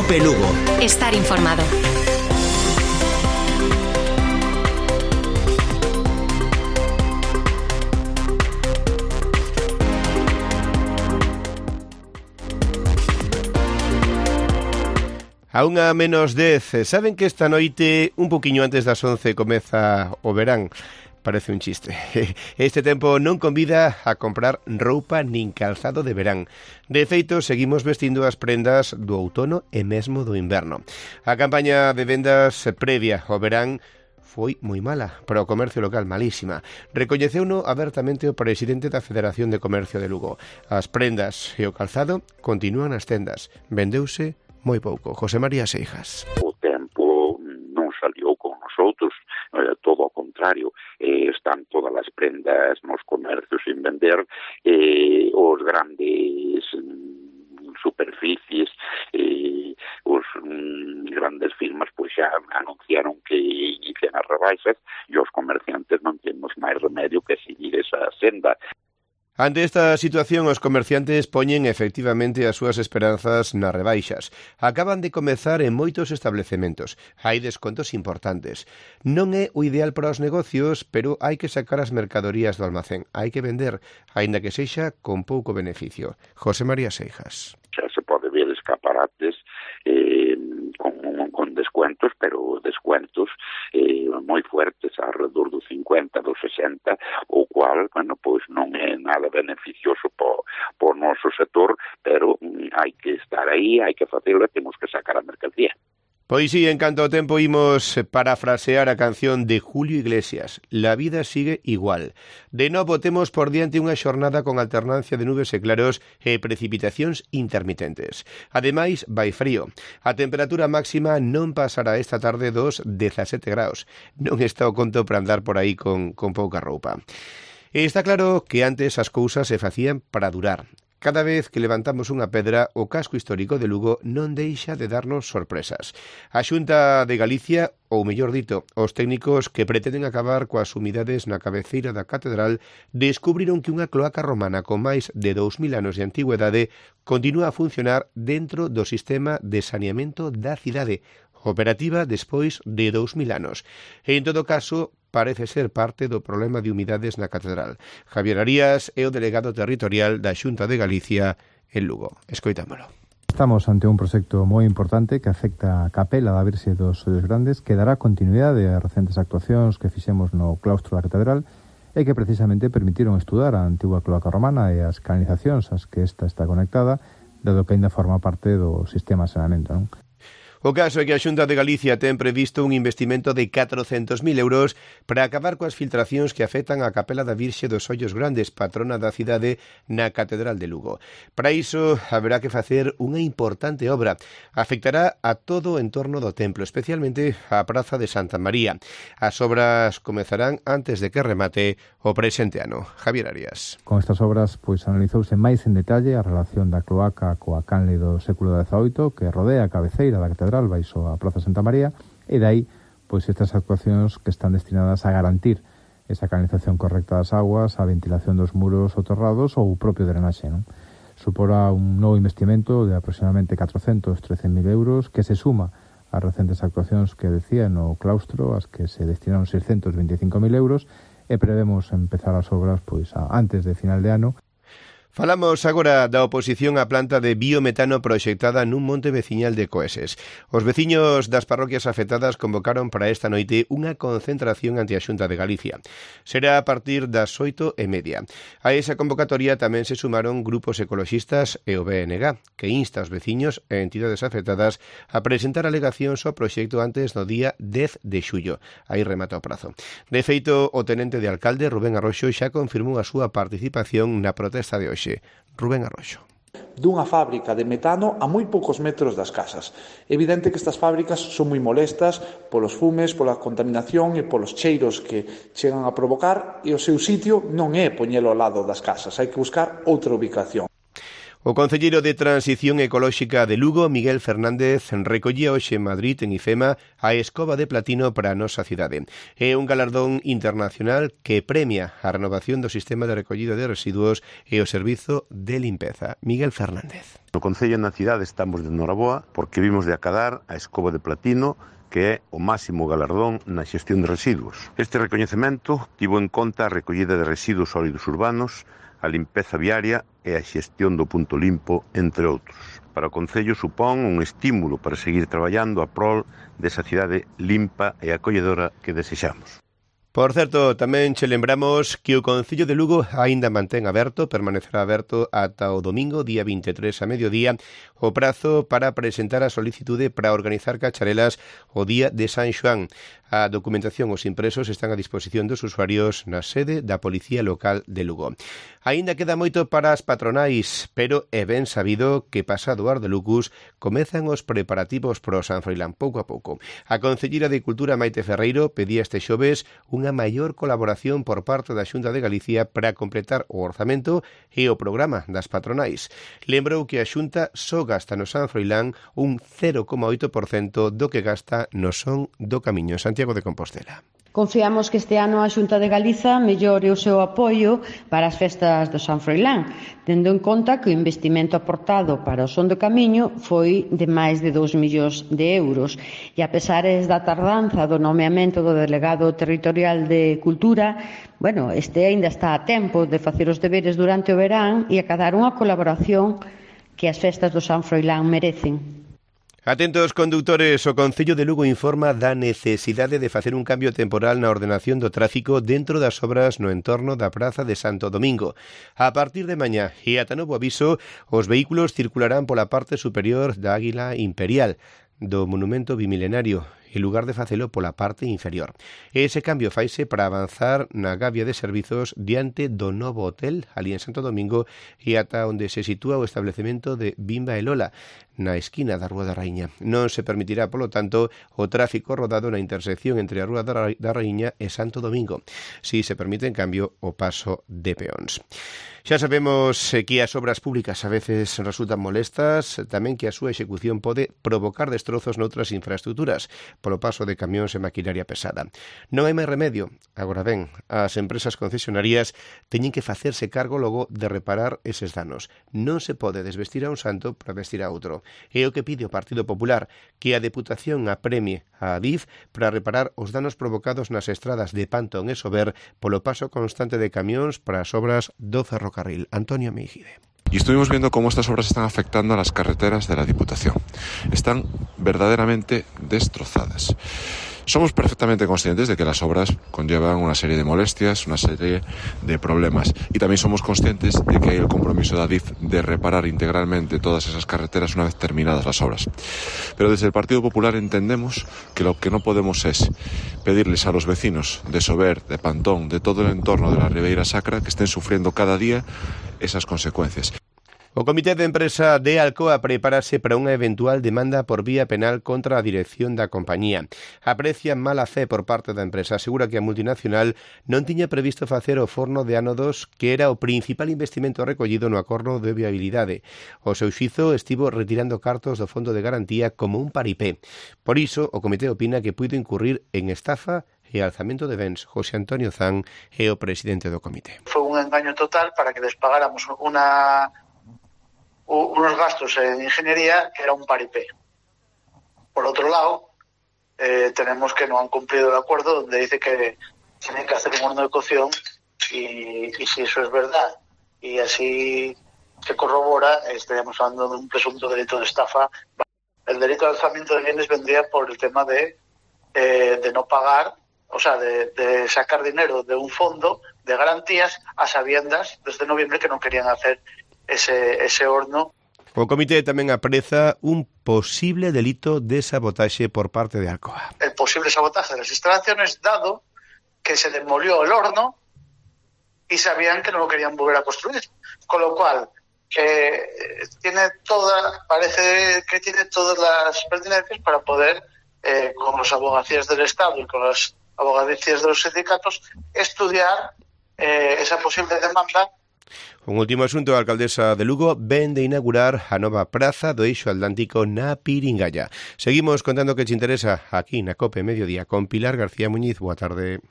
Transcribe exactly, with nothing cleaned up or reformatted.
Cope Lugo. Estar informado. A unha menos dez, saben que esta noite, un poquinho antes das once, comeza o verán. Parece un chiste. Este tempo non convida a comprar roupa nin calzado de verán. De feito, seguimos vestindo as prendas do outono e mesmo do inverno. A campaña de vendas previa ao verán foi moi mala para o comercio local, malísima. Recoñeceuno abertamente o presidente da Federación de Comercio de Lugo. As prendas e o calzado continúan nas tendas. Vendeuse moi pouco. José María Seijas. O tempo non salió con nosotros, eh, todo ao contrario, eh, están todas as prendas nos comercios sin vender, eh, os grandes mm, superficies, eh, os mm, grandes firmas pois xa anunciaron que inician as rebaixas e os comerciantes non temos máis remedio que seguir esa senda. Ante esta situación, os comerciantes poñen efectivamente as súas esperanzas nas rebaixas. Acaban de comezar en moitos establecementos. Hai descontos importantes. Non é o ideal para os negocios, pero hai que sacar as mercadorías do almacén. Hai que vender, aínda que sexa con pouco beneficio. José María Seijas. Xa se pode ver escaparates eh, con, con descuentos, pero descuentos eh, moi fuertes, alrededor do cincuenta, do sesenta, o cual, bueno, pois non é nada beneficioso po, po noso sector, pero mm, hai que estar aí, hai que facelo, temos que sacar a mercancía. Pois sí, en canto ao tempo imos parafrasear a canción de Julio Iglesias. La vida sigue igual. De novo temos por diante unha xornada con alternancia de nubes e claros e precipitacións intermitentes. Ademais, vai frío. A temperatura máxima non pasará esta tarde dos dezasete graus. Non está o conto para andar por aí con, con pouca roupa. E está claro que antes as cousas se facían para durar. Cada vez que levantamos unha pedra, o casco histórico de Lugo non deixa de darnos sorpresas. A Xunta de Galicia, ou mellor dito, os técnicos que pretenden acabar coas umidades na cabeceira da catedral, descubriron que unha cloaca romana con máis de dous mil anos de antigüedade continúa a funcionar dentro do sistema de saneamento da cidade, operativa despois de dous mil anos. E, en todo caso, parece ser parte do problema de humidades na catedral. Javier Arías é o delegado territorial da Xunta de Galicia en Lugo. Escoitámolo. Estamos ante un proxecto moi importante que afecta a capela da Virxe dos Ollos Grandes, que dará continuidade ás recentes actuacións que fixemos no claustro da catedral e que precisamente permitiron estudar a antigua cloaca romana e as canalizacións ás que esta está conectada, dado que ainda forma parte do sistema de saneamento, non? O caso é que a Xunta de Galicia ten previsto un investimento de catrocentos mil euros para acabar coas filtracións que afectan a capela da Virxe dos Ollos Grandes, patrona da cidade, na Catedral de Lugo. Para iso, haberá que facer unha importante obra. Afectará a todo o entorno do templo, especialmente a Praza de Santa María. As obras comezarán antes de que remate o presente ano. Javier Arias. Con estas obras, pois analizouse máis en detalle a relación da cloaca coa canle do século dezaoito que rodea a cabeceira da catedral baixo a Praza Santa María, e dai pois estas actuacións que están destinadas a garantir esa canalización correcta das aguas, a ventilación dos muros soterrados ou o propio drenaxe, non? Suporá un novo investimento de aproximadamente catrocentos e trece mil euros que se suma ás recentes actuacións que decía no claustro, as que se destinaron seiscentos vinte e cinco mil euros, e prevemos empezar as obras pois a, antes de final de ano. Falamos agora da oposición á planta de biometano proxectada nun monte veciñal de Coeses. Os veciños das parroquias afectadas convocaron para esta noite unha concentración ante a Xunta de Galicia. Será a partir das oito e media. A esa convocatoria tamén se sumaron grupos ecoloxistas e o B N G, que insta aos veciños e entidades afectadas a presentar alegacións ao proxecto antes do día dez de xullo. Aí remata o prazo. De feito, o tenente de alcalde, Rubén Arroxo, xa confirmou a súa participación na protesta de hoxe. Rubén Arroxo. Dunha fábrica de metano a moi poucos metros das casas. É evidente que estas fábricas son moi molestas polos fumes, pola contaminación e polos cheiros que chegan a provocar, e o seu sitio non é poñelo ao lado das casas, hai que buscar outra ubicación. O concelleiro de Transición Ecolóxica de Lugo, Miguel Fernández, recollía hoxe en Madrid, en IFEMA, a Escoba de Platino para a nosa cidade. É un galardón internacional que premia a renovación do sistema de recollido de residuos e o servizo de limpeza. Miguel Fernández. No Concello na cidade estamos de noraboa porque vimos de acadar a Escoba de Platino, que é o máximo galardón na xestión de residuos. Este recoñecemento tivo en conta a recollida de residuos sólidos urbanos, a limpeza viaria e a xestión do punto limpo, entre outros. Para o Concello supón un estímulo para seguir traballando a prol desa cidade limpa e acolledora que desexamos. Por certo, tamén che lembramos que o Concello de Lugo aínda mantén aberto, permanecerá aberto ata o domingo, día vinte e tres a mediodía, o prazo para presentar a solicitude para organizar cacharelas o día de San Xoán. A documentación os impresos están a disposición dos usuarios na sede da Policía Local de Lugo. Aínda queda moito para as patronais, pero é ben sabido que pasado o Ar de Lucus comezan os preparativos pro San Froilán pouco a pouco. A concelleira de Cultura Maite Ferreiro pedía este xoves unha maior colaboración por parte da Xunta de Galicia para completar o orzamento e o programa das patronais. Lembrou que a Xunta só gasta no San Froilán un cero coma oito por cento do que gasta no Son do Camiño. Santiago de Compostela. Confiamos que este ano a Xunta de Galiza mellore o seu apoio para as festas do San Froilán, tendo en conta que o investimento aportado para o Son do Camiño foi de máis de dous millóns de euros. E a pesares da tardanza do nomeamento do delegado territorial de Cultura, bueno, este aínda está a tempo de facer os deberes durante o verán e acadar unha colaboración que as festas do San Froilán merecen. Atentos condutores, o Concello de Lugo informa da necesidade de facer un cambio temporal na ordenación do tráfico dentro das obras no entorno da Praza de Santo Domingo. A partir de mañá e ata novo aviso, os vehículos circularán pola parte superior da Águila Imperial do monumento bimilenario, en lugar de facelo pola parte inferior. Ese cambio faise para avanzar na gavia de servizos diante do novo hotel ali en Santo Domingo e ata onde se sitúa o establecemento de Bimba e Lola, na esquina da Rúa da Raíña. Non se permitirá, polo tanto, o tráfico rodado na intersección entre a Rúa da Raíña e Santo Domingo. Si se permite, en cambio, o paso de peóns. Xa sabemos que as obras públicas a veces resultan molestas, tamén que a súa execución pode provocar destrozos noutras infraestructuras polo paso de camións e maquinaria pesada. Non hai máis remedio. Agora ben, as empresas concesionarias teñen que facerse cargo logo de reparar eses danos. Non se pode desvestir a un santo para vestir a outro. É o que pide o Partido Popular, que a Deputación apremie a Adif para reparar os danos provocados nas estradas de Pantón e Sober polo paso constante de camións para as obras do ferrocarril. Antonio Meijide. Y estuvimos viendo cómo estas obras están afectando a las carreteras de la Diputación. Están verdaderamente destrozadas. Somos perfectamente conscientes de que las obras conllevan una serie de molestias, una serie de problemas. Y también somos conscientes de que hay el compromiso de Adif de reparar integralmente todas esas carreteras una vez terminadas las obras. Pero desde el Partido Popular entendemos que lo que no podemos es pedirles a los vecinos de Sober, de Pantón, de todo el entorno de la Ribeira Sacra, que estén sufriendo cada día esas consecuencias. O Comité de Empresa de Alcoa prepárase para unha eventual demanda por vía penal contra a dirección da compañía. Aprecia mala fe por parte da empresa. Asegura que a multinacional non tiña previsto facer o forno de ánodos, que era o principal investimento recollido no acordo de viabilidade. O seu xuízo estivo retirando cartos do fondo de garantía como un paripé. Por iso, o comité opina que puido incurrir en estafa e alzamento de bens. José Antonio Zan é o presidente do comité. Foi un engaño total para que les pagáramos unha unos gastos en ingeniería que era un paripé. Por otro lado, eh, tenemos que no han cumplido el acuerdo donde dice que tienen que hacer un horno de cocción y, y si eso es verdad y así se corrobora, estaríamos hablando de un presunto delito de estafa. El delito de alzamiento de bienes vendría por el tema de, eh, de no pagar, o sea, de, de sacar dinero de un fondo de garantías a sabiendas desde noviembre que no querían hacer ese, ese horno. O comité tamén apreza un posible delito de sabotaxe por parte de Alcoa. El posible sabotaje de las instalaciones, dado que se demolió el horno y sabían que no lo querían volver a construir. Con lo cual, eh, tiene toda, parece que tiene todas las pertinencias para poder, eh, con las abogacías del Estado y con las abogacías de los sindicatos, estudiar eh, esa posible demanda. Un último asunto, a alcaldesa de Lugo ven de inaugurar a nova praza do Eixo Atlántico na Piringalla. Seguimos contando que te interesa aquí na COPE Mediodía con Pilar García Muñiz. Boa tarde.